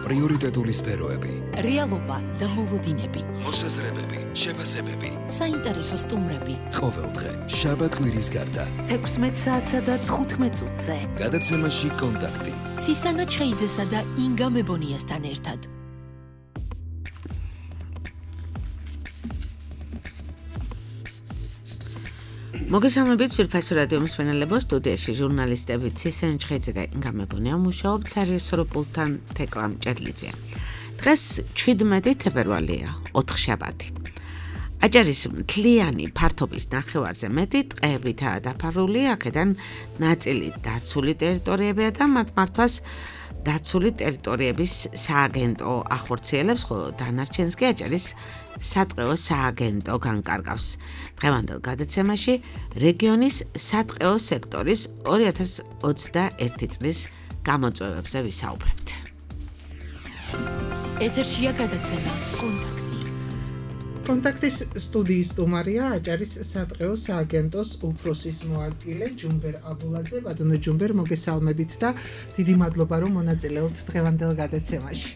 პრიორიტეტული სფეროები, რეალობა და მოლოდინები, მოსაზრებები, შეფასებები, საინტერესო სტუმრები. ყოველდღე შაბათ-კვირის გარდა 16 საათსა და 15 წუთზე. გადაცემაში კონტაქტი. ცისანა ჩხეიძესა და ინგა მებონიასთან ერთად. მოგესალმებით ძვირფასი რადიო მსმენელებო, სტუდიაში ჟურნალისტები ცისანა ჩხეიძე და ინგა მებონია მუშაობთ სერიესო პულტთან თეკლა მჭედლიძეა. დღეს 17 თებერვალია, 4 შაბათი. აჭარის მთლიანი ფართობის ნახევარზე მეტი ტყეებითაა დაფარული, აქედან ნაწილი დაცული ტერიტორიებია და მათ მართვას დაცული ტერიტორიების სააგენტო ახორციელებს, ხოლო დანარჩენს კი აჭარის სატყეო სააგენტო განკარგავს. დღევანდელ გადაცემაში რეგიონის სატყეო სექტორის 2021 წლის გამოწვევებზე ვისაუბრებთ. ეთერშია გადაცემა კონტაქტი. კონტაქტის სტუდიის სტუმარია აჭარის სატყეო სააგენტოს უფროსის მოადგილე ჯუმბერ აბულაძე. ბატონო ჯუმბერ, მოგესალმებით და დიდი მადლობა რომ მონაწილეობთ დღევანდელ გადაცემაში.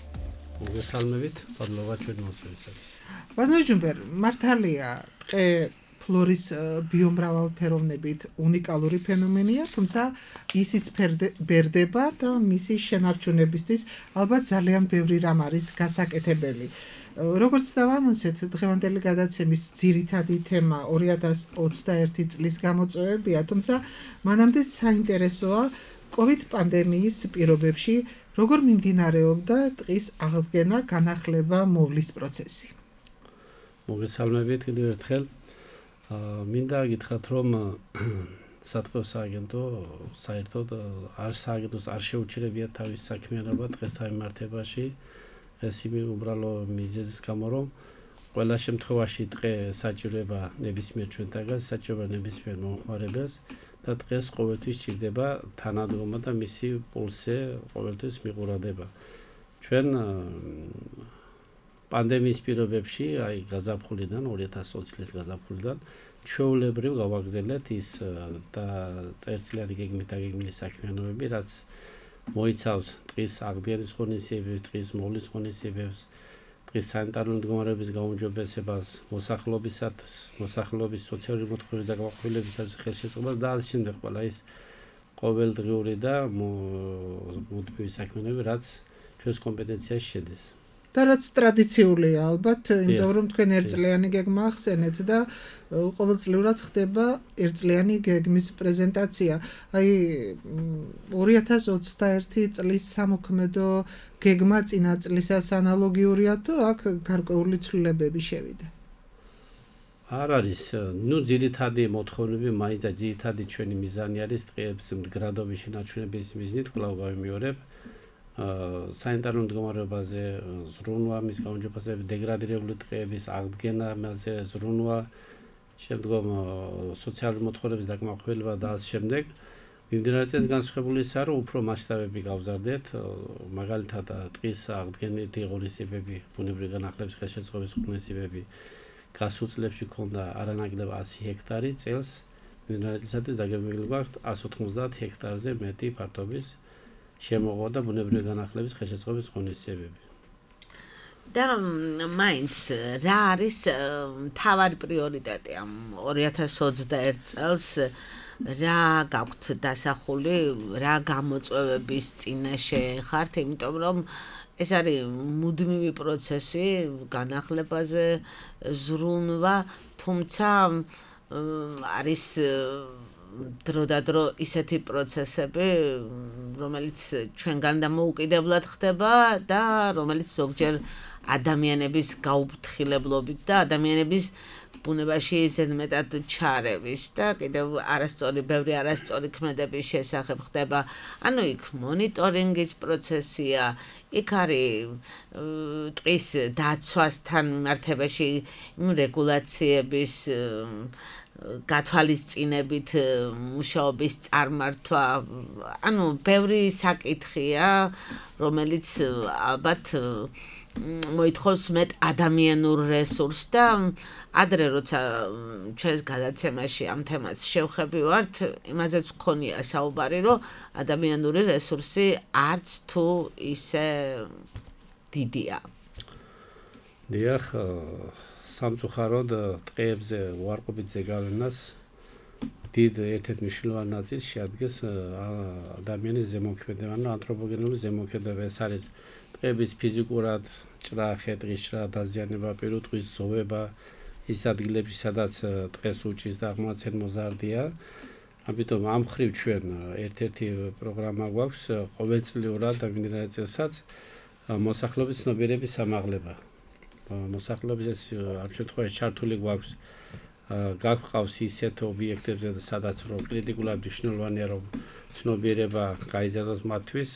მოგესალმებით, მადლობა ჩვენ მოსვლისას. ბატონო ჯუმბერ, მართალია ტყე ფლორის ბიომრავალფეროვნებით უნიკალური ფენომენია, თუმცა ისიც ბერდება და მისი შენარჩუნებისთვის ალბათ ძალიან ბევრი რამ არის გასაკეთებელი. როგორც დავანონსეთ, დღევანდელი გადაცემის ძირითადი თემა 2021 წლის გამოწვევებია, თუმცა მანამდე საინტერესოა COVID პანდემიის პირობებში როგორ მიმდინარეობდა ტყის აღდგენა, განახლება, მოვლის პროცესი. მოგესალმებით კიდევ ერთხელ. მინდა გითხრათ, რომ სატყეო სააგენტო საერთოდ სააგენტოს არ შეუჩერებია თავის საქმიანობა ტყესთან მიმართებაში. ეს უბრალო მიზეზის გამო, რომ ყველა შემთხვევაში ტყე საჭიროება ნებისმიერ ჩვენთაგან, საჭიროება ნებისმიერ მომხმარებელს და ტყეს ყოველთვის სჭირდება თანადგომა და მისი პულსზე ყოველთვის მიყურადება. ჩვენ პანდემიის პირობებში, აი გაზაფხულიდან 2020 წლის გაზაფხულიდან ჩვეულებრივ გავაგზავნეთ ის და წერტილიანი გეგმით დაგეგმილი საქმიანობები, რაც მოიცავს ტყის აღდგენის ღონისძიებებს, ტყის მოვლის ღონისძიებებს, ტყის სანიტარული მდგომარეობის გაუმჯობესებას, მოსახლეობის სოციალური მოთხოვნების და გამახვილებისას ხელშეწყობას და ამ შემდეგ ყველა ის ყოველდღიური და მუდმივი საქმიანობები, რაც ჩვენს კომპეტენციაში შედის. და რაც ტრადიციულია ალბათ, იმიტომ რომ თქვენ ერთწლიანი გეგმა ახსენეთ და ყოველწლიურად ხდება ერთწლიანი გეგმის პრეზენტაცია. აი 2021 წლის სამოქმედო გეგმა წინა წლისას ანალოგიურია თუ აქ გარკვეული ცვლილებები შევიდა? არ არის, ძირითადი მოთხოვნები მაინც და ძირითადი ჩვენი მიზანი არის ტყეების მდგრადობის შენარჩუნების მიზნით კვლავ გავიმეორებ. სანიტარულ მდგომარეობაზე ზრუნვა, მის გაუმჯობესების დეგრადირებული ტყეების აღდგენა, მასზე ზრუნვა, შემდგომ სოციალური მოთხოვნების დაკმაყოფილება და ამ შემდეგ მიმდინარე წელს განსხვავებული ისაა, რომ უფრო მასშტაბები გავზარდეთ, მაგალითად ტყის აღდგენითი ღონისძიებები, ბუნებრივი განახლების ხელშეწყობის ღონისძიებები გასულ წლებში ქონდა არანაკლებ 100 ჰექტარი წელს, მიმდინარე წლისათვის დაგეგმილი გვაქვს 190 ჰექტარზე მეტი ფართობის შემოღვა და ბუნებრივი განახლების ხელშეწყობის ღონისძიებები. და მაინც რა არის მთავარი პრიორიტეტი ამ 2021 წელს, რა გაქვთ დასახული, რა გამოწვევების წინაშე ხართ, იმიტომ რომ ეს არის მუდმივი პროცესი განახლებაზე ზრუნვა, თუმცა არის დრო ისეთი პროცესები, რომელიც ჩვენგან დამოუკიდებლად ხდება და რომელიც ზოგჯერ ადამიანების გაუფრთხილებლობით და ადამიანების ბუნებაში ზედმეტად ჩარევის და კიდევ ბევრი არასწორი ქმედების შესახებ ხდება. ანუ იქ მონიტორინგის პროცესია, იქ არის ტყის დაცვასთან მიმართებაში რეგულაციების გათვალისწინებით მუშაობის წარმართვა, ანუ ბევრი საკითხია, რომელიც ალბათ მოითხოვს მეტ ადამიანურ რესურსს და ადრე როცა ჩვენს გადაცემაში ამ თემას შევხებივართ, იმაზეც გქონია საუბარი, რომ ადამიანური რესურსი არც თუ ისე დიდია. დიახ, სამწუხაროდ ტყეებზე უარყოფით ზეგავლენას დიდ ერთ-ერთ მნიშვნელოვან ნაწილს შეადგენს ადამიანის ზემოქმედება, ანუ ანთროპოგენური ზემოქმედება. ეს არის ტყეების ფიზიკურად ჭრა, ხე-ტყის ჭრა, დაზიანება, პირუტყვის ზოვება, ის ადგილებში, სადაც ტყეს უჭის და აღმოცენ მოზარდია. ამიტომ ამ ხრივ ჩვენ ერთ-ერთი პროგრამა გვაქვს ყოველწლიურად და მიმდინარე წელსაც მოსახლეობის ცნობიერების სამაღლება. მოსახლეობის ეს ამ შემთხვევაში ჩართული გვაქვს გაგვყავს ისეთ ობიექტებზე, სადაც რომ კრიტიკულად მნიშვნელოვანია რომ ცნობიერება გაიზარდოს მათთვის,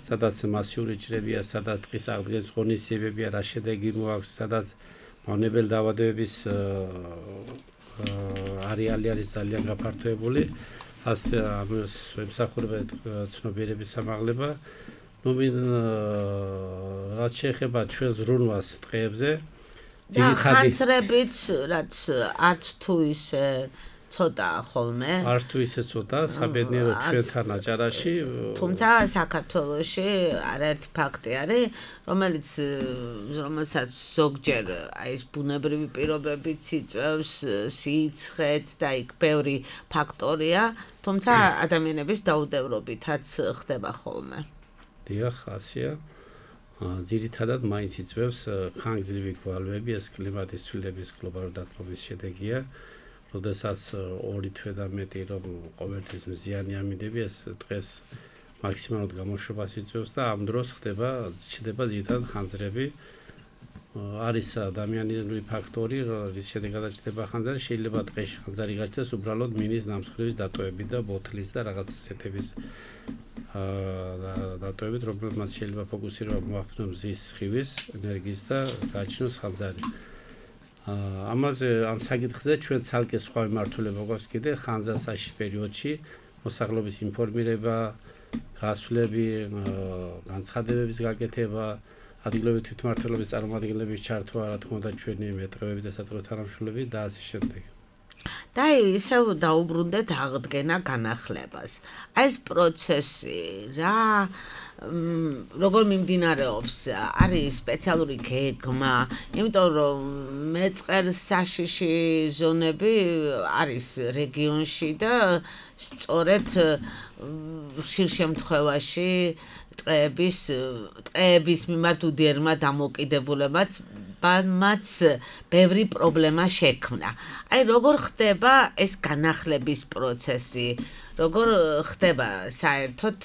სადაც მასიური ჭრებია, სადაც ტყის აღდგენის ღონისძიებებია, რა შედეგი მოაქვს, სადაც მავნებელ დაავადებების არეალი არის ძალიან გაფართოებული, ასე ამას ემსახურება ცნობიერების სამაღლება. ნუ რაც შეეხება ჩვენ ზრუნვას ტყეებზე, ხანძრებით, რაც არც თუ ისე ცოტაა ხოლმე. არც თუ ისე ცოტაა, საბედნიეროდ ჩვენთან აჭარაში. თუმცა საქართველოში არაერთი ფაქტი არის, რომელსაც ზოგჯერ აი ეს ბუნებრივი პირობებიც იწვევს, სიცხეც და იქ ბევრი ფაქტორია, თუმცა ადამიანების დაუდევრობითაც ხდება ხოლმე. დიახ, ასეა. ძირითადად მაინც იწვევს ხანგრძლივი გვალვები, ეს კლიმატის ცვლილების გლობალური დათბობის შედეგია. როდესაც 2 თვე და მეტი რომ ყოველთვის მზიანი ამინდები, ეს დღეს მაქსიმალურად გამოშვებას იწვევს და ამ დროს ჩნდება ძირითადად ხანძრები. არის ადამიანური ფაქტორი, რის შედეგადაც ჩნდება ხანძარი, შეიძლება დღეში ხანძარი გაჩნდეს უბრალოდ მინის ნამსხვრევის დატოვებით და ბოთლის და რაღაც ასეთების დატოვებით, რომელმაც შეიძლება ფოკუსირება მოახდინოს მზის სხივის ენერგიის და გააჩინოს ხანძარი. ამაზე ამ საკითხზე ჩვენ ცალკე სხვა მიმართულება გვაქვს კიდე ხანძრასაშიში პერიოდში მოსახლეობის ინფორმირება, გასვლები, განცხადებების გაკეთება, ადგილობრივი თვითმმართველობის წარმომადგენლების ჩართვა, რა თქმა უნდა ჩვენი მეტყევები და სატყეო თანამშრომლები და ასე შემდეგ. და ისევ დაუბრუნდეთ აღდგენა განახლებას. აი ეს პროცესი როგორ მიმდინარეობს? არის სპეციალური გეგმა, იმიტომ რომ მეწყერსაშიში ზონები არის რეგიონში და სწორედ ხშირ შემთხვევაში ტყეების მიმართ უდიერმა დამოკიდებულებაც მათ ბევრი პრობლემა შექმნა. აი როგორ ხდება ეს განახლების პროცესი? როგორ ხდება საერთოდ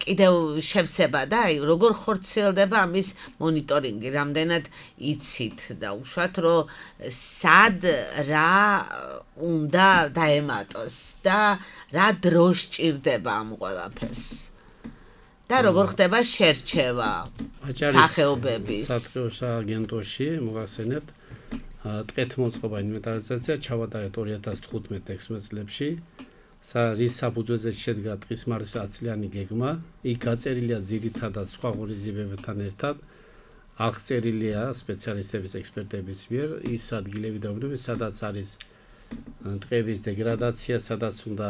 კიდევ შევსება და აი როგორ ხორციელდება ამის მონიტორინგი? რამდენად იცით და უშუალოდ რომ სად რა უნდა დაემატოს და რა დროს სჭირდება ამ ყველაფერს? და როგორ ხდება შერჩევა სახეობების? სატყეო სააგენტოში მოგახსენებთ ტყეთმოწყობა ინვენტარიზაცია ჩავატარეთ 2015-16 წლებში. რის საფუძველზე შედგა ტყის მართვის 10-წლიანი გეგმა. იქ გაწერილია ძირითადად სხვა ღონისძიებებთან ერთად. აღწერილია სპეციალისტების, ექსპერტების მიერ ის ადგილები და უბნები, სადაც არის ტყეების დეგრადაცია, სადაც უნდა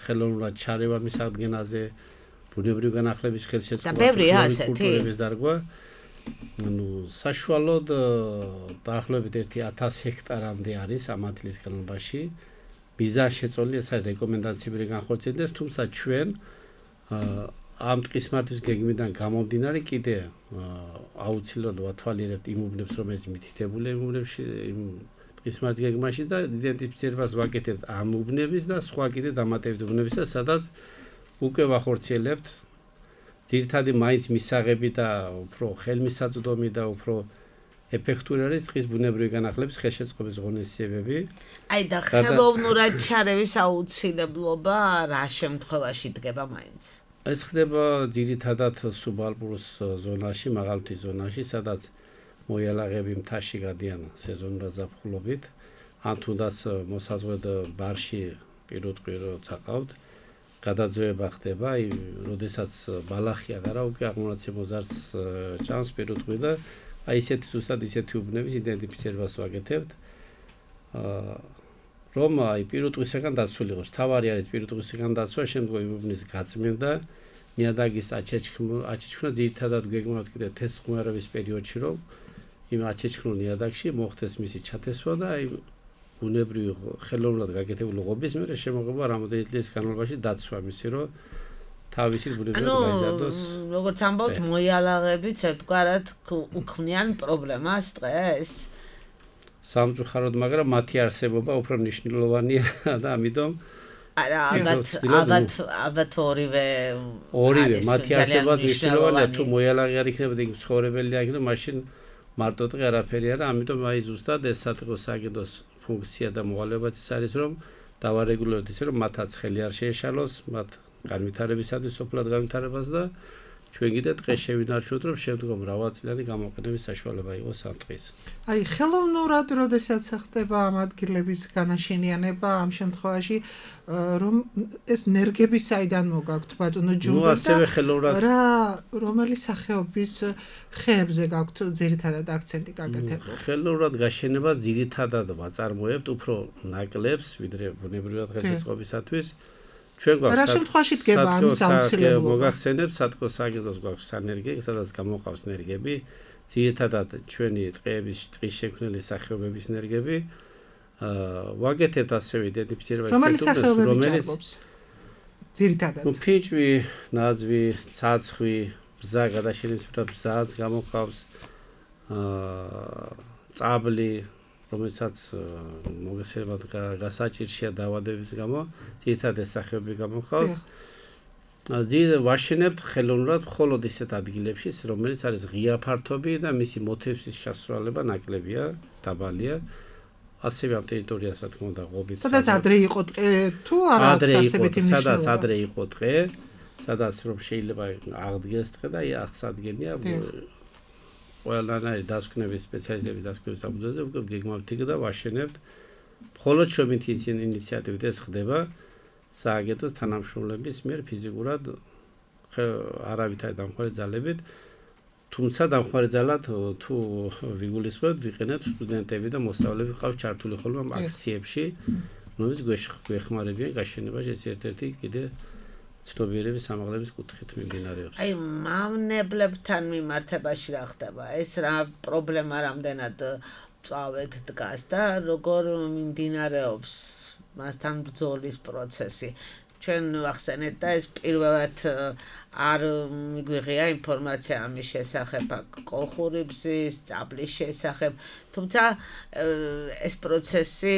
ხელოვნურად ჩარევა მის აღდგენაზე, ბუნებრივი განახლების ხელშეწყობა, კულტურების დარგვა. საშუალოდ დაახლოებით 1000 ჰექტარამდე არის ამ ადგილის განმავლობაში. მიზანი შეწოლილია ეს რეკომენდაციები განხორციელდეს, თუმცა ჩვენ ამ ტყის მართვის გეგმიდან გამომდინარე კიდე აუცილებლად ვათვალიერებთ იმ უბნებს, რომელიც მითითებულია იმ უბნებში, იმ ტყის მართვის გეგმაში და იდენტიფიცირებას ვაკეთებთ ამ უბნების და სხვა კიდე დამატებით უბნებისა, სადაც უკვე ვახორციელებთ ძირითადი მაინც მისაღები და უფრო ხელმისაწვდომი და უფრო ეფექტური არის ტყის ბუნებრივი განახლების ხელშეწყობის ღონისძიებები. აი და ხელოვნურად ჩარევის აუცილებლობა რა შემთხვევაში დგება მაინც? ეს ხდება ძირითადად სუბალპურ ზონაში, მაღალმთის ზონაში, სადაც მოიალაღები მთაში გადიან სეზონურად ზაფხულობით, ან თუნდაც მოსაზღვრედ ბარში პირუტყვი როცა ყავთ, გადაძევება ხდება, როდესაც ბალახი აღარა უკვე აღმონაცემ მოზარდს ჭამს პირუტყვი და აი ისეთი ზუსტად ისეთი უბნების იდენტიფიცირებას ვაკეთებთ, რომ აი პირუტყვისგან დაცული იყოს. თავარი არის პირუტყვისგან დაცვა, შემდგომ უბნის გაწმენდა, ნიადაგის აჩეჩქნა ძირითადად გეგმავთ კიდე თესხმარების პერიოდში, რომ იმ აჩეჩქნულ ნიადაგში მოხდეს მისი ჩათესვა და აი ბუნებრივი ხელოვნურად გაკეთებული ღობის მერე შემოღება რამოდენიმე წლის განმავლობაში დაცვა მისი, რომ თავისი ბუნებრივად გაიზარდოს. როგორც ამბობთ, მოიალაღებიც ერთგვარად უქმნიან პრობლემას დღეს. სამწუხაროდ, მაგრამ მათი არსებობა უფრო მნიშვნელოვანია და ამიტომ არა, ალბათ ორივე მათი არსებობა მნიშვნელოვანია, თუ მოიალაღე არ იქნებოდა, იქ ცხოვრებელი არ იქნებოდა, მაშინ მარტო დღე არაფერი არა, ამიტომ აი ზუსტად ეს საწყო სააგენტოს ფუნქცია და მოვალეობაც ის არის, რომ დავარეგულიროთ ისე, რომ მათაც ხელი არ შეეშალოს, მათ განვითარებისათვის სოფლად განვითარებას და ჩვენ კიდე დღეს შევინარჩუნოთ, რომ შემდგომ მრავალწლიანი გამოყენების საშუალება იყოს ამ დღეს. აი, ხელოვნურად როდესაც ხდება ამ ადგილების განაშენიანება, ამ შემთხვევაში რომ ეს ნერგები საიდან მოგაქვთ, ბატონო ჯუმბა და რომელი სახეობის ხეებზე გაქვთ ძირითადად აქცენტი გაკეთებული? ხელოვნურად გაშენებას ძირითადად ვაწარმოებთ უფრო ნაკლებს, ვიდრე ბუნებრივად ხელშეწყობისათვის. ჩვენ გვაქვს რა შემთხვევაში დგება ამის აუცილებლობა? მოგახსენებთ სათქო სააგენტოს გვაქვს სანერგე, სადაც გამოყავს ნერგები, ძირითადად ჩვენი ტყეების ტყის შექმნელი სახეობების ნერგები. ვაკეთებთ ასევე იდენტიფიცირებას რომელიც ძირითადად ფიჭვი, ნაძვი, ცაცხვი, ბზა გადაშენებისათვის ბზაც გამოყავს, წაბლი, რომელსაც მოგესალმებით გასაჭირშია დაავადების გამო, ძირითადად ეს სახეობები გამოყავს. ვაშენებთ ხელოვნურად მხოლოდ ისეთ ადგილებში, რომელიც არის ღია ფართობი და მისი მოთევსის შესრულება ნაკლებია, დაბალია. ასევე ამ ტერიტორიას რა თქმა უნდა ღობით. სადაც ადრე იყო ტყე თუ არა აქვს არსებითი მნიშვნელობა? სადაც ადრე იყო ტყე, სადაც რომ შეიძლება აღდგეს ტყე და აღსადგენია ყველანაირი დასკვნების სპეციალისტების დასკვნების საფუძველზე უკვე გეგმავთ იქ და ვაშენებთ. მხოლოდ ჩვენი ინიციატივით ეს ხდება სააგენტოს თანამშრომლების მიერ ფიზიკურად არავით არ დამხმარე ძალებით. თუმცა დამხმარე ძალად თუ ვიგულისხმებთ, ვიყენებთ სტუდენტები და მოსწავლეები ყავს ჩართული ხოლმე ამ აქციებში, რომელიც გვეხმარებიან გაშენებაში. ეს ერთ-ერთი კიდე ცნობიერების ამაღლების კუთხით მიმდინარეობს. აი, მავნებლებთან მიმართებაში რა ხდება? ეს რა პრობლემა რამდენად წავედ დგას და როგორ მიმდინარეობს მასთან ბრძოლის პროცესი? ჩვენ ვახსენეთ და ეს პირველად არ მიგვიღია ინფორმაცია ამის შესახებ, კოლხური ბზის, წაბლის შესახებ, თუმცა ეს პროცესი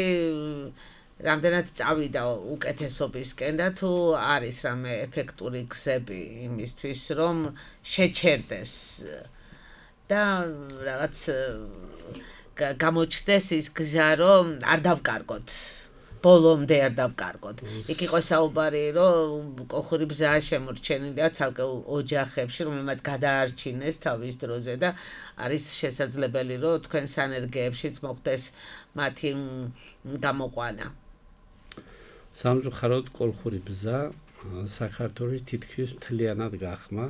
რამდენად წავიდა უკეთესობისკენ და თუ არის რამე ეფექტური გზები იმისთვის, რომ შეჩერდეს და რაღაც გამოჩნდეს ის გზა, რომ არ დავკარგოთ. ბოლომდე არ დავკარგოთ. იქ იყო საუბარი, რომ კოლხური ბზა შემორჩენილია ცალკეულ ოჯახებში, რომელმაც გადაარჩინეს თავის დროზე და არის შესაძლებელი, რომ თქვენ სანერგეებშიც მოხდეს მათი გამოყვანა. სამწუხაროდ კოლხური ბზა საქართველოს თითქმის მთლიანად გახმა.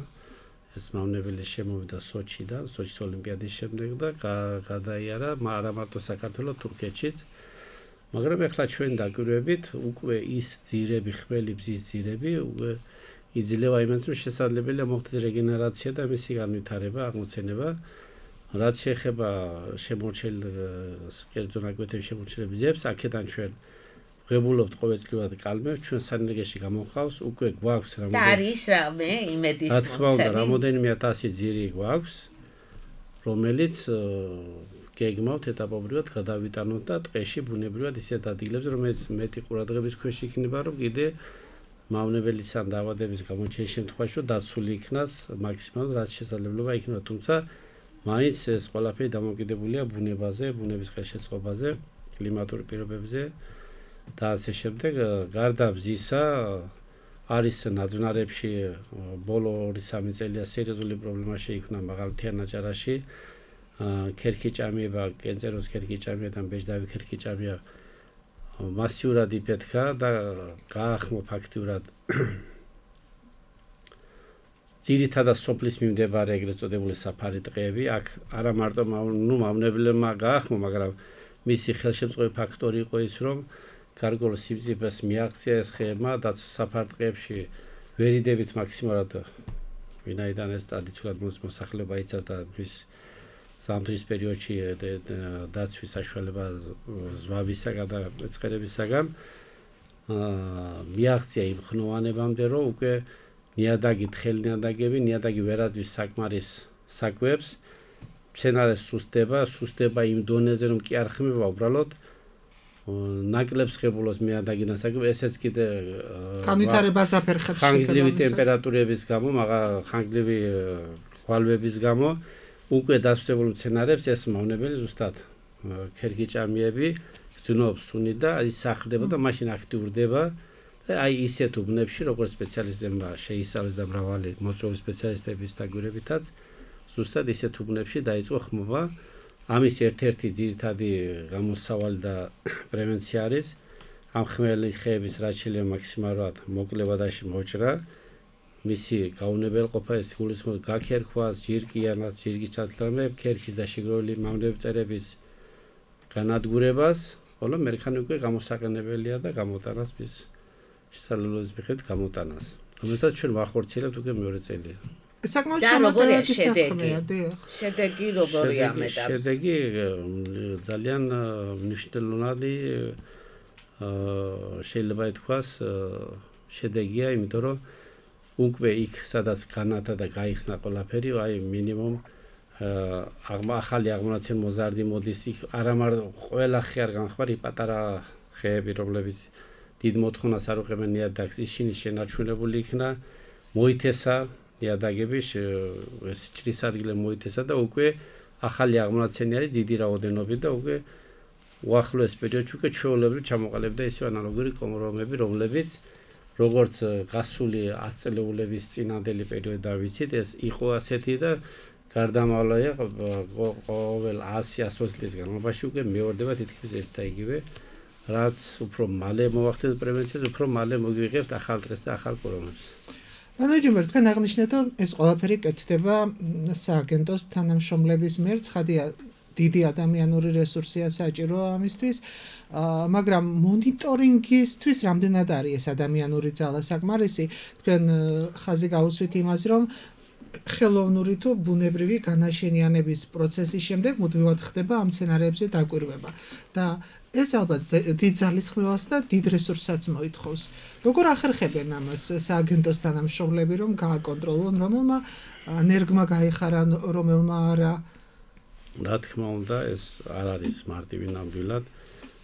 ეს მავნებელი შემოვიდა სოჩიდან, სოჩის ოლიმპიადის შემდეგ და გადაიარა არა მარტო საქართველოს, თურქეთშიც. მაგრამ ახლა ჩვენ დაგვირვებით უკვე ის ძირები, ხმელი ბზის ძირები უკვე იძლევა იმას, რომ შესაძლებელია მოხდეს რეგენერაცია და მისი განვითარება, აღმოცენება. რაც შეეხება შემორჩენილ კერძო ნაკვეთების შემორჩენილ ბზებს, აქედან ჩვენ ღებულობთ ყოველწლიურად კალმებს, ჩვენ სანერგეში გამოყავს, უკვე გვაქვს რამოდენიმე. და არის რამე იმედის რა თქმა უნდა, რამოდენიმე 1000 ძირი გვაქვს, რომელიც გეგმავთ ეტაპობრივად გადავიტანოთ და ტყეში ბუნებრივად ისეთ ადგილებზე, რომელიც მეტი ყურადღების ქვეშ იქნება, რომ კიდე მავნებელის ან დაავადების გამოჩენის შემთხვევაში დაცული იქნას მაქსიმალურად რაც შესაძლებლობა იქნება, თუმცა მაინც ეს ყველაფერი დამოკიდებულია ბუნებაზე, ბუნების ხელშეწყობაზე, კლიმატურ პირობებზე და ასე შემდეგ. გარდა ბზისა არის ნაძვნარებში ბოლო 2-3 წელია სერიოზული პრობლემა შეიქმნა მაღალმთიან აჭარაში. ქერქიჭამია, კენწეროს ქერქიჭამია და ბეჟდავი ქერქიჭამია მასიურად იფეთქა და გაახმო ფაქტიურად ძირითადად სოფლის მიმდებარე ეგრეთ წოდებული საფარი ტყეები. აქ არა მარტო მავნებლებმა გაახმო, მაგრამ მისი ხელშემწყობი ფაქტორი იყო ის, რომ გარკვეულ სიმწიფეს მიაღწია ეს ხეებმა და საფარ ტყეებში ვერიდებით მაქსიმალურად ვინაიდან ეს ტრადიციულად მოსახლეობა იცავდა და მის ზამთრის პერიოდში დაცვის საშუალება ზვავისაგან და ეწყერებისაგან მიაღწია იმ ხნოვანებამდე, რომ უკვე ნიადაგი თხელი ნიადაგი ვერაძვის საკმარის საკვებს მცენარეს სუსტდება იმ დონეზე, რომ კი არ ხმება უბრალოდ ნაკლებს ღებულობს ნიადაგი ნასაკვები, ესეც კიდე განვითარებას აფერხებს ხანგრძლივი ტემპერატურების გამო, ხანგრძლივი ხვალვების გამო უკვე დასუსტებულ მცენარებს ეს მავნებელი ზუსტად ქერქიჭამიები გძნობს სუნი და ის სახლდება და მაშინ აქტიურდება და აი ისეთ უბნებში, როგორც სპეციალისტებმა შეისწავლეს და მრავალი მოწვეული სპეციალისტების დაგვირებითაც ზუსტად ისეთ უბნებში დაიწყო ხმობა. ამის ერთ-ერთი ძირითადი გამოსავალი და პრევენცია არის ამ ხმელი ხეების რაც შეიძლება მაქსიმალურად მოკლება და მოჭრა. მისი გაუნებელყოფა ეს გულისხმობს გაქერქვას, ჯირკიანას, ჯირკის ჩათვლამებს, ქერქის და შეგროვილი მავნებების წერების განადგურებას, ხოლო მერქანი უკვე გამოსაყენებელია და გამოტანას მის შესაძლებლობის მიხედვით გამოტანას. რომელსაც ჩვენ ვახორციელებთ უკვე მეორე წელია. საკმაოდ და როგორია შედეგია? შედეგი როგორია ამ ეტაპზე? შედეგი ძალიან მნიშვნელოვანი შეიძლება ითქვას შედეგია, იმიტომ რომ უკვე იქ სადაც განათა და გაიხსნა ყველაფერი, აი მინიმუმ ახალი აღმონაცენი მოზარდი მოდის იქ, არამარტო ყველა ხე არ განხმარი პატარა ხეები, რომლებიც დიდ მოთხოვნას არ უყევენ ნიადაგს, ისინი შენარჩუნებული იქნა, მოითესა ნიადაგები, ეს ჭრის ადგილზე მოითესა და უკვე ახალი აღმონაცენი არის დიდი რაოდენობით და უკვე უახლოეს პერიოდში უკვე ჩვეულებრივ ჩამოყალიბდა ისე ანალოგური კომრომები, რომლებიც როგორც გასული 10 წლეულების წინანდელი პერიოდიდან ვიცით, ეს იყო ასეთი და გარდამავლია ყოველ 100-120 წლის განმავლობაში უკვე მეორდება თითქმის ერთ და იგივე, რაც უფრო მალე მოახდინოთ პრევენციას, უფრო მალე მოგვიღებთ ახალ დღეს და ახალ კორომებს. მანაჯმენტ თქვენ აღნიშნეთ, რომ ეს ყველაფერი კეთდება სააგენტოს თანამშრომლების მიერ, ცხადია დიდი ადამიანური რესურსია საჭირო ამისთვის, მაგრამ მონიტორინგისთვის რამდენად არის ეს ადამიანური ძალა საკმარისი? თქვენ ხაზი გაუსვით იმას, რომ ხელოვნური თუ ბუნებრივი განაშენიანების პროცესის შემდეგ მუდმივად ხდება ამ სცენარებზე დაკვირვება და ეს ალბათ დიდ ძალისხმევას და დიდ რესურსსაც მოითხოვს. როგორ ახერხებენ ამას სააგენტოს თანამშრომლები, რომ გააკონტროლონ, რომელმა ნერგმა გაიხარა, რომელმა არა? რა თქმა უნდა, ეს არ არის მარტივი ნამდვილად.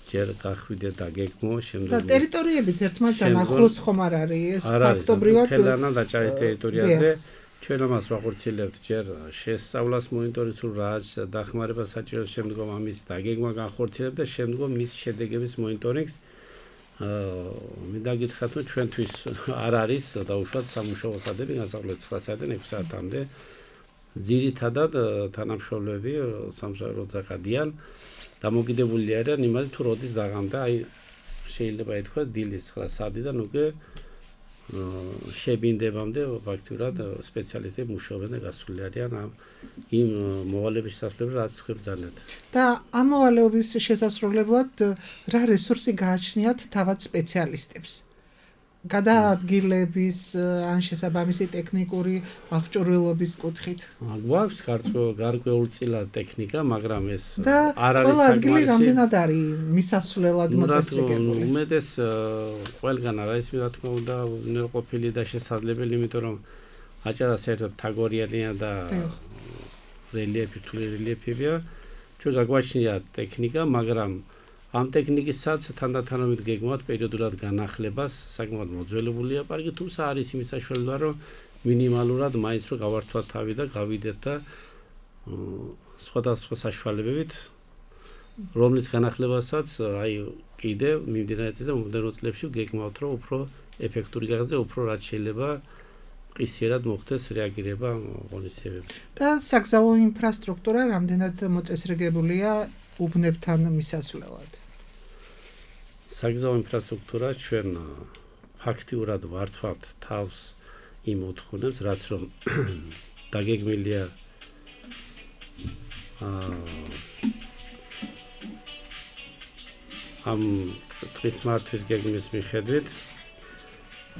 ჯერ გახვიდე და გეგმო, შემდეგ და ტერიტორიებიც ერთმანეთთან ახლოს ხომ არ არის, ეს ფაქტობრივად თელანა დაჭარის ტერიტორიაზე ჩვენ ამას ვახორციელებთ ჯერ შესწავლას მონიტორინგს, რაც დახმარება საჭირო, შემდგომ ამის დაგეგმა განხორციელებთ და შემდგომ მის შედეგების მონიტორინგს. მინდა გითხრათ, რომ ჩვენთვის არ არის დაუშვათ სამუშაო საათები, განსაკუთრებით 9 საათიდან 6 საათამდე. ძირითადად თანამშრომლები სამსახურო დაკადიან, დამოკიდებული არიან იმაზე, თუ როდის დაღამდა, აი შეიძლება ითქვას დილის 9 საათიდან უკვე შებინდებამდე ფაქტურად სპეციალისტები მუშაობენ და გასული არიან იმ მოვალეობის შესასრულებლად, რაც თქვენ ბრძანეთ. და ამ მოვალეობის შესასრულებლად რა რესურსი გააჩნიათ თავად სპეციალისტებს? გადაადგილების ან შესაბამისი ტექნიკური აღჭურვილობის კუთხით. გვაქვს გარკვეულწილად ტექნიკა, მაგრამ ეს არ არის საკმარისი. ადგილი რამდენად არის მისასვლელად მოწესრიგებული? უმეტეს ყველგან არ არის, რა თქმა უნდა, ყოფილი და შესაძლებელი, იმიტომ რომ აჭარა საერთოდ თაგორიანია და რელიეფი, თვლი რელიეფებია. ჩვენ გაგვაჩნია ტექნიკა, მაგრამ ამ ტექნიკისაც თანდათანობით გეგმავთ პერიოდულად განახლებას, საკმაოდ მოძველებულია პარკი, თუმცა არის იმის საშუალება, რომ მინიმალურად მაინც რომ გავართვათ თავი და გავიდეთ და სხვადასხვა საშუალებებით, რომლის განახლებასაც აი კიდე მიმდინარე წელს და მომდევნო წლებში გეგმავთ, რომ უფრო ეფექტური გახდეს, უფრო რაც შეიძლება ყისიერად მოხდეს რეაგირება ღონისძიებებში. და საგზაო ინფრასტრუქტურა რამდენად მოწესრიგებულია უბნებთან მისასვლელად? საგზაო ინფრასტრუქტურა ჩვენ ფაქტიურად ვართვავთ თავს იმ მოთხოვნებს, რაც რომ დაგეგმილია ამ დღის მართვის გეგმის მიხედვით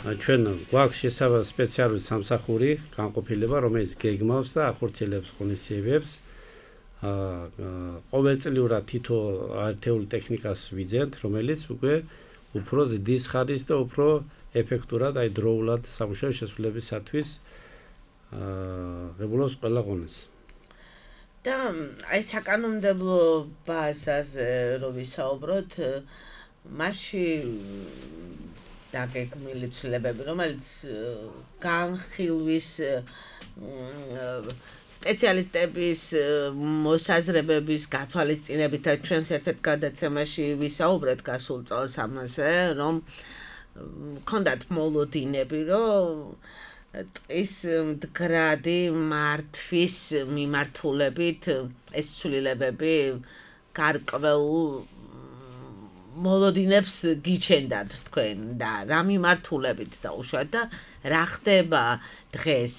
ჩვენ გვაქვს სპეციალური სამსახური განყოფილება, რომელიც გეგმავს და ახორციელებს ღონისძიებებს. ყოველწლიურად თითო ერთეული ტექნიკას ვიძენთ, რომელიც უკვე უფრო ზრდის ხარის და უფრო ეფექტურად, დროულად სამუშაო შესრულებისათვის ღებულობს ყველა ღონეს. და საკანონმდებლო ბაზაზე რო ვისაუბროთ, მასში დაგეგმილი ცვლილებები, რომელიც განხილვის სპეციალისტების მოსაზრებების გათვალისწინებითაც ჩვენს ერთ-ერთ გადაცემაში ვისაუბრეთ გასულ წელს ამაზე, რომ ქონდათ მოლოდინები, რომ ტყის მდგრადი მართვის მიმართულებით ეს ცვლილებები გარკვეულ მოლოდინებს გიჩენდათ თქვენ და რა მიმართულებით დაუშვათ და რა ხდება დღეს,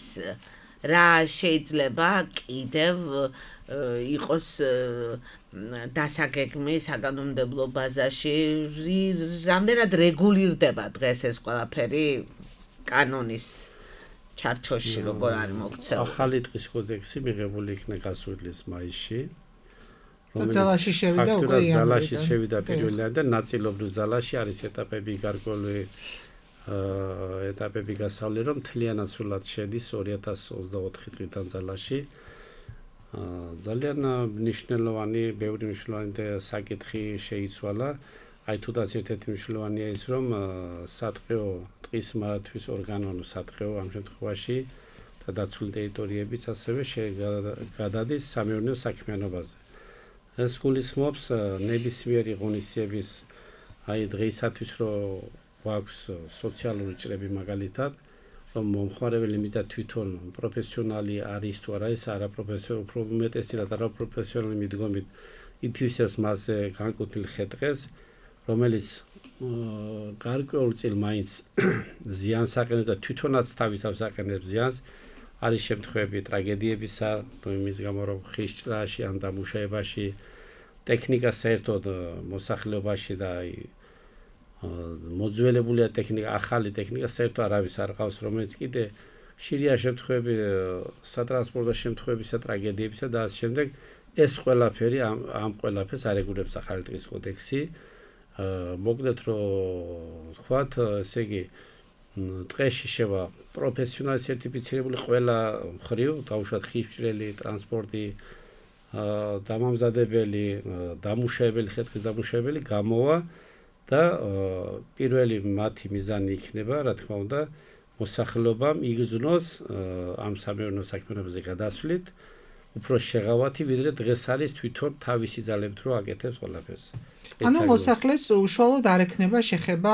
რა შეიძლება კიდევ იყოს დასაგეგმი საკანონმდებლო ბაზაში, რამდენად რეგულირდება დღეს ეს ყველაფერი კანონის ჩარჩოში, როგორ არის მოქცეული. ახალი ტყის კოდექსი მიღებული იქნა გასული წლის მაისში. ძალაში შევიდა უკვე იანვარიდან. ძალაში შევიდა პირველად და ნაწილობრივ ძალაში არის ეტაპები გარკვეული ეტაპები გასავლე, რომ მთლიანად სულად შედის 2024 წლიდან ძალაში. ძალიან მნიშვნელოვანი, ბევრი მნიშვნელოვანი საკითხი შეიცვალა. აი თუდაც ერთ-ერთი მნიშვნელოვანია ის, რომ სატყეო ტყის მართვის ორგანო, სატყეო ამ შემთხვევაში და დაცული ტერიტორიებიც ასევე გადადის სამეურნეო საქმიანობაზე. ეს გულისხმობს ნებისმიერი ღონისძიების აი დღეისათვის რომ გვაქვს სოციალური ჭრები მაგალითად, რომ მომხმარებელი მიზა თვითონ პროფესიონალი არის თუ არა, ეს არაპროფესიონალი, უფრო უმეტესად არაპროფესიონალი მიდგომით ითვისებს მასზე განკუთვნილ ხეტყეს, რომელიც გარკვეულ წილ მაინც ზიანს აყენებს და თვითონაც თავისავს აყენებს ზიანს. არის შემთხვევები ტრაგედიებისა, იმის გამო რომ ხის ჭრაში ან დამუშავებაში ტექნიკა საერთოდ მოსახლეობაში და მოძველებულია ტექნიკა, ახალი ტექნიკა საერთოდ არავის არ ყავს, რომელიც კიდე ხშირია შემთხვევები სატრანსპორტო შემთხვევებისა, ტრაგედიებისა და ამ შემდეგ ეს ყველაფერი ამ ყველაფერს არეგულირებს ახალი ტყის კოდექსი. მოკლედ რომ ვთქვათ, ესე იგი ტყეში შევა პროფესიონალი სერტიფიცირებული ყველა მხრივ, დაუშვათ ხისჭრელი, ტრანსპორტი, დამამზადებელი, დამუშავებელი, ხე-ტყის დამუშავებელი გამოვა და პირველი მათი მიზანი იქნება, რა თქმა უნდა, მოსახლეობამ იგრძნოს ამ სამეურნეო საქმიანობაზე გადასვლით უფრო შეღავათი, ვიდრე დღეს არის თვითონ თავისი ძალებით რო აკეთებს ყველაფერს. ანუ მოსახლეს უშუალოდ არ ექნება შეხება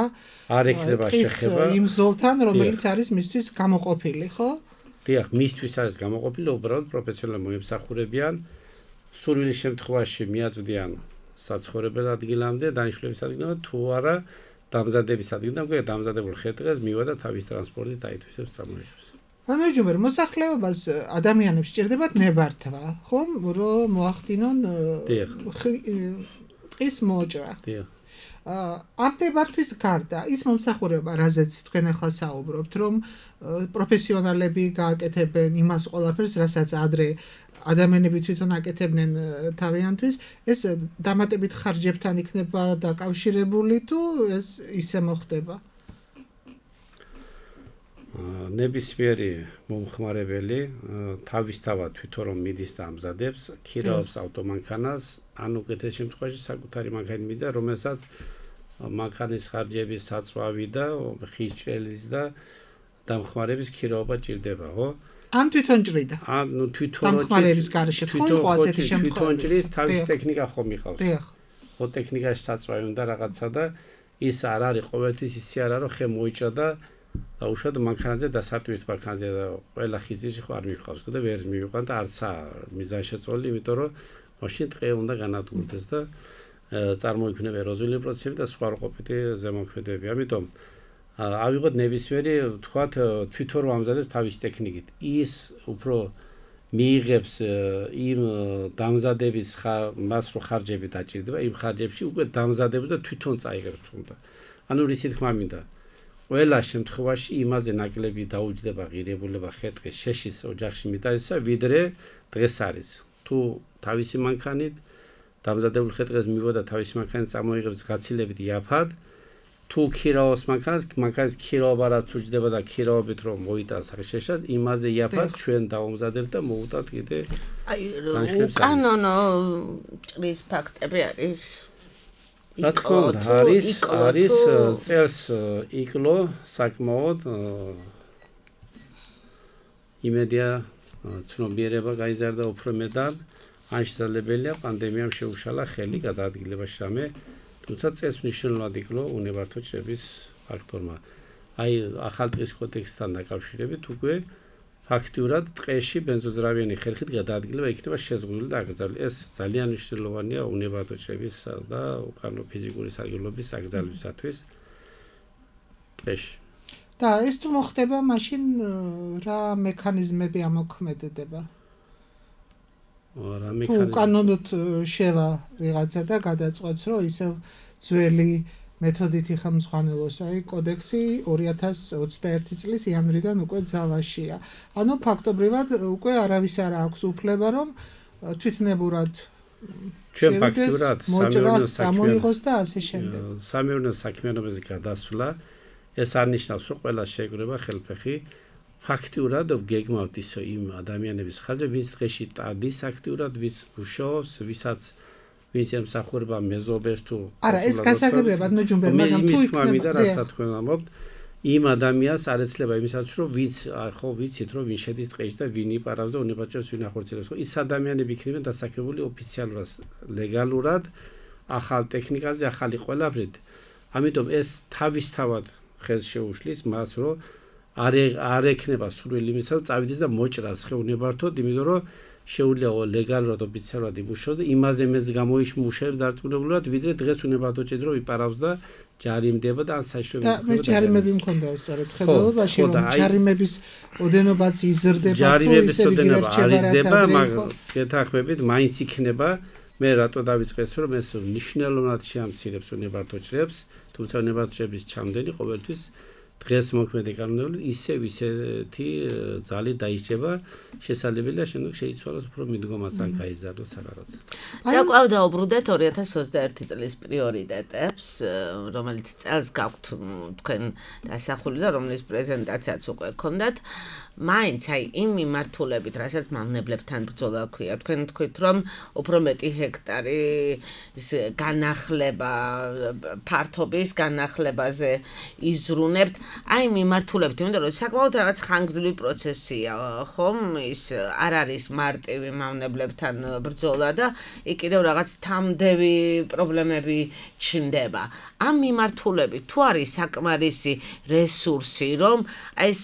იმ ზოლთან, რომელიც არის მისთვის გამოყოფილი, ხო? დიახ, მისთვის არის გამოყოფილი, უბრალოდ პროფესიონალები მოემსახურებიან, სურვილის შემთხვევაში მიაწვდიან საცხოვრებელ ადგილამდე, დანიშნულების ადგილამდე, თუ არა დამზადების ადგილამდე, უკვე დამზადებულ ხე-ტყეს მივა და თავის ტრანსპორტით დაითვისებს წარმოიშვებს. მანუჯუმერ, მოსახლეობას ადამიანებს სჭირდებათ ნებართვა, ხომ, რომ მოახდინონ ტყის მოჭრა. ამ ნებართვის გარდა ის მომსახურება, რაზეც თქვენ ახლა საუბრობთ, რომ პროფესიონალები გააკეთებენ იმას ყველაფერს, რასაც ადრე ადამიანები თვითონ აკეთებდნენ თავიანთვის, ეს დამატებით ხარჯებთან იქნება დაკავშირებული თუ ეს ისე მოხდება? ნებისმიერი მომხმარებელი თავისთავად თვითონ რომ მიდის და ამზადებს, ქირაობს ავტომანქანას, ან უკეთეს შემთხვევაში საკუთარი მანქანა მიდა, რომელსაც მანქანის ხარჯების საწვავი და ხისჭრელის და დამხმარების ქირაობა ჭირდება, ხო? ან თვითონ ჭრიდა. ან თვითონ დამხმარების გარეშე ხო იყო ასეთი შემთხვევა. თვითონ ჭრის თავის ტექნიკა ხომ იყავს. დიახ. ხო ტექნიკაში საწვავი უნდა რაღაცა და ის არ არის ყოველთვის ისე არა რომ ხე მოიჭრა და უშუალოდ მანქანაზე დასარტყმით მანქანაზე და ყველა ხიზიში ხო არ მიყავს და ვერ მივიყვან და არცა მიზანშეწონილი, იმიტომ რომ მაშინ ტყე უნდა განადგურდეს და წარმოიქმნება ეროზიული პროცესები და სხვა რყოფითი ზემოქმედებები. ამიტომ ავიღოთ ნებისმიერი, თქვათ, თვითონ რომ ამზადებს თავის ტექნიკით. ის უფრო მიიღებს იმ დამზადების მას რო ხარჯები დაჭირდება, იმ ხარჯებში უკვე დამზადებს და თვითონ წაიღებს თუნდა. ანუ რისი თქმა მინდა. ყველა შემთხვევაში იმაზე ნაკლები დაუჯდება ღირებულება ხე-ტყის შეშის ოჯახში მიტანისა, ვიდრე დღეს არის. თუ თავისი მანქანით დამზადებული ხე-ტყეს მივოდა თავისი მანქანით წამოიღებს გაცილებით იაფად, თუ ქირაოს მანქანის ქირაობა რაც უჯდება და ქირაობით რომ მოიტანს შეშას, იმაზე იაფად ჩვენ დავამზადებთ და მოუტანთ კიდე. აი, უკანონო ჭრის ფაქტები არის. რა თქმა უნდა, არის წელს იკლო საკმაოდ იმედია ცნობიერება გაიზარდა უფრო მეტად, ან შესაძლებელია პანდემიამ შეუშალა ხელი გადაადგილებაში რამე, თუმცა წელს მნიშვნელოვნად იკლო უნებართო ჭრების ფაქტორმა. აი, ახალ ტყის კოდექსთან დაკავშირებით უკვე ფაქტიურად ტყეში ბენზოზრավიანი ხერხით გადაადგილება იქნება შეზღუდული და აკრძალული. ეს ძალიან მნიშვნელოვანია უნებართო ჭრების და უკანონო ფიზიკური სარგებლობის აკრძალვისათვის ტყეში. და ეს თუ მოხდება, მაშინ რა მექანიზმები ამოქმედდება? თუ უკანონოდ შევა ვიღაცა და გადაწყვეტს, რომ ისევ ძველი მეთოდით იხელმძღვანელოს, აი კოდექსი 2021 წლის იანვრიდან უკვე ძალაშია. ანუ ფაქტობრივად უკვე არავის არ აქვს უფლება, რომ თვითნებურად ჩვენ ფაქტურად მოჭრას წამოიღოს და ასე შემდეგ. სამეურნეო საქმიანობაზე გადასვლა ეს არნიშნავს, რომ ყველა შეეგრება ხელფეხი. ფაქტურად გეგმავთ ისო იმ ადამიანების ხარჯზე, ვინც დღეში ტადის აქტიურად, ვინც მუშაობს, ვინც ემსახურება მეზობელს თუ არა, ეს გასაგებია, ბატონო ჯუმბერ, მაგრამ თუ იქნება რასაც თქვენ ამბობთ, იმ ადამიანს არ ეცლება იმისაც, რომ ვინც ხო ვიცით, რომ ვინ შედის ტყეში და ვინ იპარავს და უნებაჭრებს ვინ ახორციელებს. ის ადამიანები იქნებიან დასაქმებული ოფიციალურად, ლეგალურად, ახალ ტექნიკაზე, ახალი ყველაფრით. ამიტომ ეს თავისთავად ხელს შეუშლის მას, რომ არ ექნება სურვილი იმისა, რომ წავიდეს და მოჭრას ხეუნებართოდ, იმიტომ რომ შეუძლია ლეგალურად ოფიციალურად იმუშაოს და იმაზე მეც გამოიმუშავებს დარწმუნებულად, ვიდრე დღეს უნებართო ჭრით რომ იპარავს და ჯარიმდება და ან საშუალება და მე ჯარიმები მქონდა სწორედ ხედველობაში, რომ ჯარიმების ოდენობაც იზრდება, თუ ისე იგივე რჩება რაც მაგრამ გეთანხმებით მაინც იქნება. მე რატო დავიწყეს, რომ ეს მნიშვნელოვნად შეამცირებს უნებართო ჭრებს, თუმცა უნებართო ჭრების ჩამდენი ყოველთვის დღეს მოქმედი კანონები ისეთი ძალით დაიჭრება, შესაძლებელია შემდეგ შეიცვალოს უფრო მიდგომაც ან გაიზარდოს რაღაცა. და კვლავ დაუბრუნდეთ 2021 წლის პრიორიტეტებს, რომელიც წელს გაქვთ თქვენ დასახული და რომლის პრეზენტაციაც უკვე გქონდათ. მაინც აი იმ მიმართულებით, რასაც მავნებლებთან ბრძოლა ქვია, თქვენ თქვით, რომ უფრო მეტი ჰექტარი განახლება, ფართობის განახლებაზე იზრუნებთ. აი მიმართულებით, იმიტომ რომ საკმაოდ რაღაც ხანგრძლივი პროცესია, ხომ? ის არ არის მარტივი მავნებლებთან ბრძოლა და იქ კიდევ რაღაც თამდევი პრობლემები ჩნდება. ამ მიმართულებით თუ არის საკმარისი რესურსი, რომ აი ეს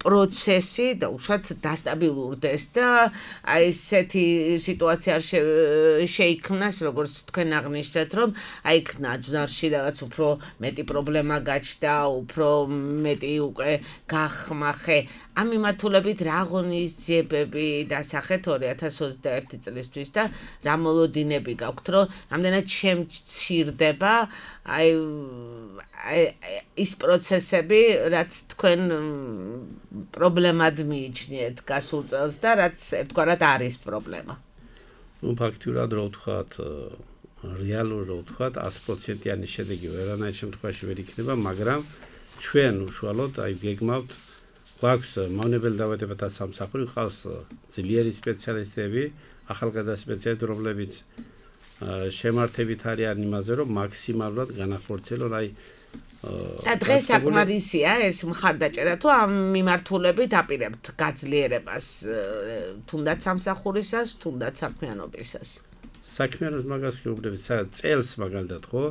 პროცესი და უშუალოდ დასტაბილურდეს და აი ესეთი სიტუაცია არ შეიქმნას, როგორც თქვენ აღნიშნეთ, რომ აი იქ ნაძვარში რაღაც უფრო მეტი პრობლემა გაჩნდა, უფრო მეტი უკვე გახმახე. ამ მიმართულებით რა ღონისძიებები დასახეთ 2021 წლისთვის და რა მოლოდინები გაქვთ, რომ რამდენად შემცირდება აი ის პროცესები, რაც თქვენ პრობლემად მიიჩნიეთ გასულ წელს და რაც ერთგვარად არის პრობლემა. ნუ ფაქტურად რო ვთქვათ, რეალურად რო ვთქვათ, 100%-იანი შედეგი ვერანაირ შემთხვევაში ვერ იქნება, მაგრამ ჩვენ უშუალოდ აი გეგმავთ, გვაქვს მავნებელ დაავადებათა სამსახური, ყავს ძლიერი სპეციალისტები, ახალგაზრდა სპეციალისტები, რომლებიც შემართებით არიან იმაზე, რომ მაქსიმალურად განახორციელონ აი და დღეს საკმარისია ეს მხარდაჭერა თუ ამ მიმართულებით აპირებთ გაძლიერებას თუნდაც სამსახურისას, თუნდაც საქმიანობისას. საქმიანობის მაგას გეუბნებით, წელს მაგალითად ხო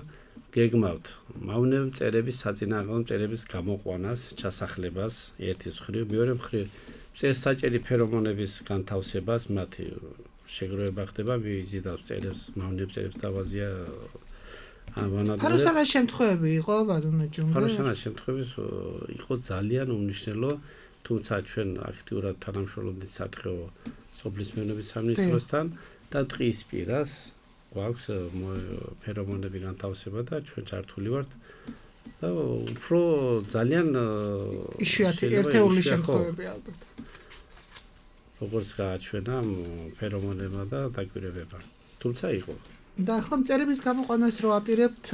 გეგმავთ მავნებელ მწერების საწინააღმდეგო მწერების გამოყვანას, ჩასახლებას, ერთის მხრივ, მეორე მხრივ წესსაჭერი ფერომონების განთავსებას, მათი შეგროვება ხდება, ვიზიტავს წერებს, მავნებელ მწერებს დავაზია ფაროსანას შემთხვევები იყო, ბატონო ჯუმბერ? ფაროსანას შემთხვევები იყო ძალიან უმნიშვნელო, თუმცა ჩვენ აქტიურად თანამშრომლობდით სატყეო სოფლის მეურნეობის სამინისტროსთან და ტყის პირას გვაქვს ფერომონები განთავსება და ჩვენ ჩართული ვართ და უფრო ძალიან იშვიათი ერთეული შემთხვევები ალბათ. როგორც გააჩვენა ფერომონებმა და დაკვირვებებმა. თუმცა იყო. და ახლა მწერების გამოყვანას რო აპირებთ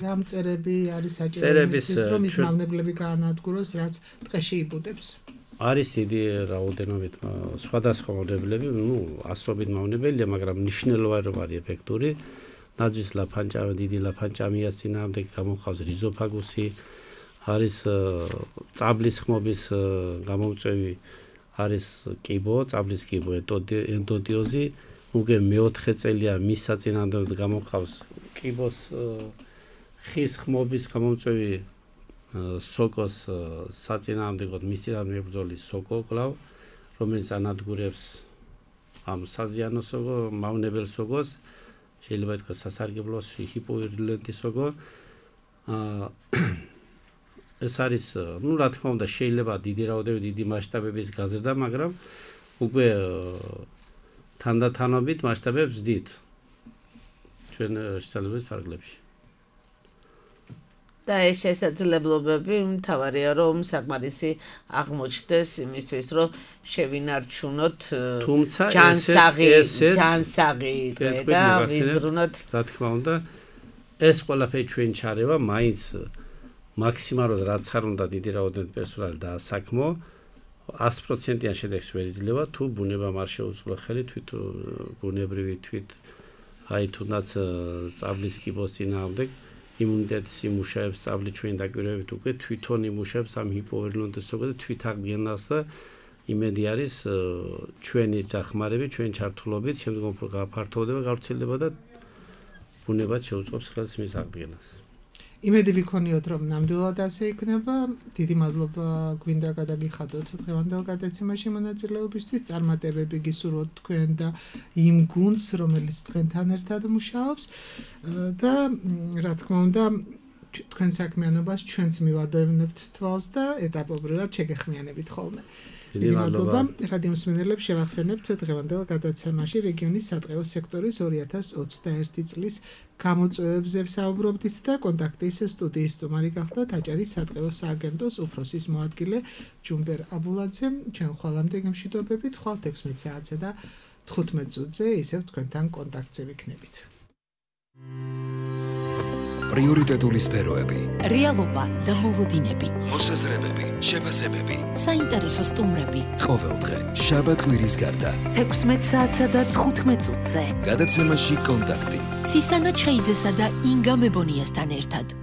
რა მწერები არის საჭირო იმისთვის რომ ის მავნებლები გაანადგუროს რაც ტყეში იბუდებს. არის დიდი რაოდენობით სხვადასხვა მავნებლები, ასობით მავნებელია, მაგრამ მნიშვნელოვანი რომ არის ეფექტური. ნაძვის ლაფანჭამი, დიდი ლაფანჭამიას წინააღმდეგ გამოხავს რიზოფაგუსი, არის წაბლის ხმობის გამომწვევი, არის კიბო, წაბლის კიბო, ენდოდიოზი, უკვე მეოთხე წელია მის საწინააღმდეგოდ გამოხავს კიბოს ხის ხმობის გამომწვევი სოკოს საწინააღმდეგოდ მის წინააღმდეგ ბრძოლის სოკო კვლავ, რომელიც ანადგურებს ამ საზიანო სოკო, მავნებელ სოკოს, შეიძლება ითქვას სასარგებლო ჰიპოვირულენტი სოკო. ეს არის, რა თქმა უნდა, შეიძლება დიდი რაოდენობით, დიდი მასშტაბების გაზრდა, მაგრამ უკვე თანდათანობით მასშტაბებს ვზდით ჩვენ შესაძლებლობის ფარგლებში. და ეს შესაძლებლობები მთავარია რომ საკმარისი აღმოჩნდეს იმისთვის რომ შევინარჩუნოთ ჯანსაღი და ვიზრუნოთ. რა თქმა უნდა, ეს ყველაფერი ჩვენ ჩარევა მაინც მაქსიმალურად რაც არ უნდა დიდი რაოდენობით პერსონალი დაასაქმო 100%-იან შედეგს ვერ იძლევა თუ ბუნებამ არ შეუწყო ხელი ბუნებრივი აი თუნდაც წაბლის კიბოს წინააღმდეგ იმუნიტეტის იმუშავებს წაბლი ჩვენ დაკვირვებით უკვე თვითონ იმუშავებს ამ ჰიპოვირულენტის სოკოს და თვითაღმიანას და იმედი არის ჩვენი დახმარებით, ჩვენ ჩართულობით შემდგომ უფრო გაფართოვდება, გავრცელდება და ბუნებად შეუწყობს ხელს მის აღდგენას. იმედი ვიქონიოთ რომ ნამდვილად ასე იქნება. დიდი მადლობა გვინდა გადაგიხადოთ დღევანდელ გადაცემაში მონაწილეობისთვის. წარმატებები გისურვოთ თქვენ და იმ გუნდს რომელიც თქვენთან ერთად მუშაობს და რა თქმა უნდა თქვენ საქმიანობას ჩვენც მივადევნებთ თვალს და ეტაპობრივად შეგეხმიანებით ხოლმე. დიდი მადლობა რადიო მსმენელებს შევახსენებთ დღევანდელ გადაცემაში რეგიონის სატყეო სექტორის 2021 წლის გამოწვევებზე ვსაუბრობდით და კონტაქტის სტუდიის სტუმარი გახდა აჭარის სატყეო სააგენტოს უფროსის მოადგილე ჯუმბერ აბულაძე. ჩვენ ხვალამდე გემშვიდობებით, ხვალ 16 საათზე და 15 წუთზე ისევ თქვენთან კონტაქტზე ვიქნებით. პრიორიტეტული სფეროები, რეალობა და მოლოდინები, მოსაზრებები, შეფასებები, საინტერესო სტუმრები. ყოველდღე შაბათ კვირის გარდა 16 საათსა და 15 წუთზე გადაცემაში კონტაქტი. ცისანა ჩხეიძესა და ინგა მებონიასთან ერთად.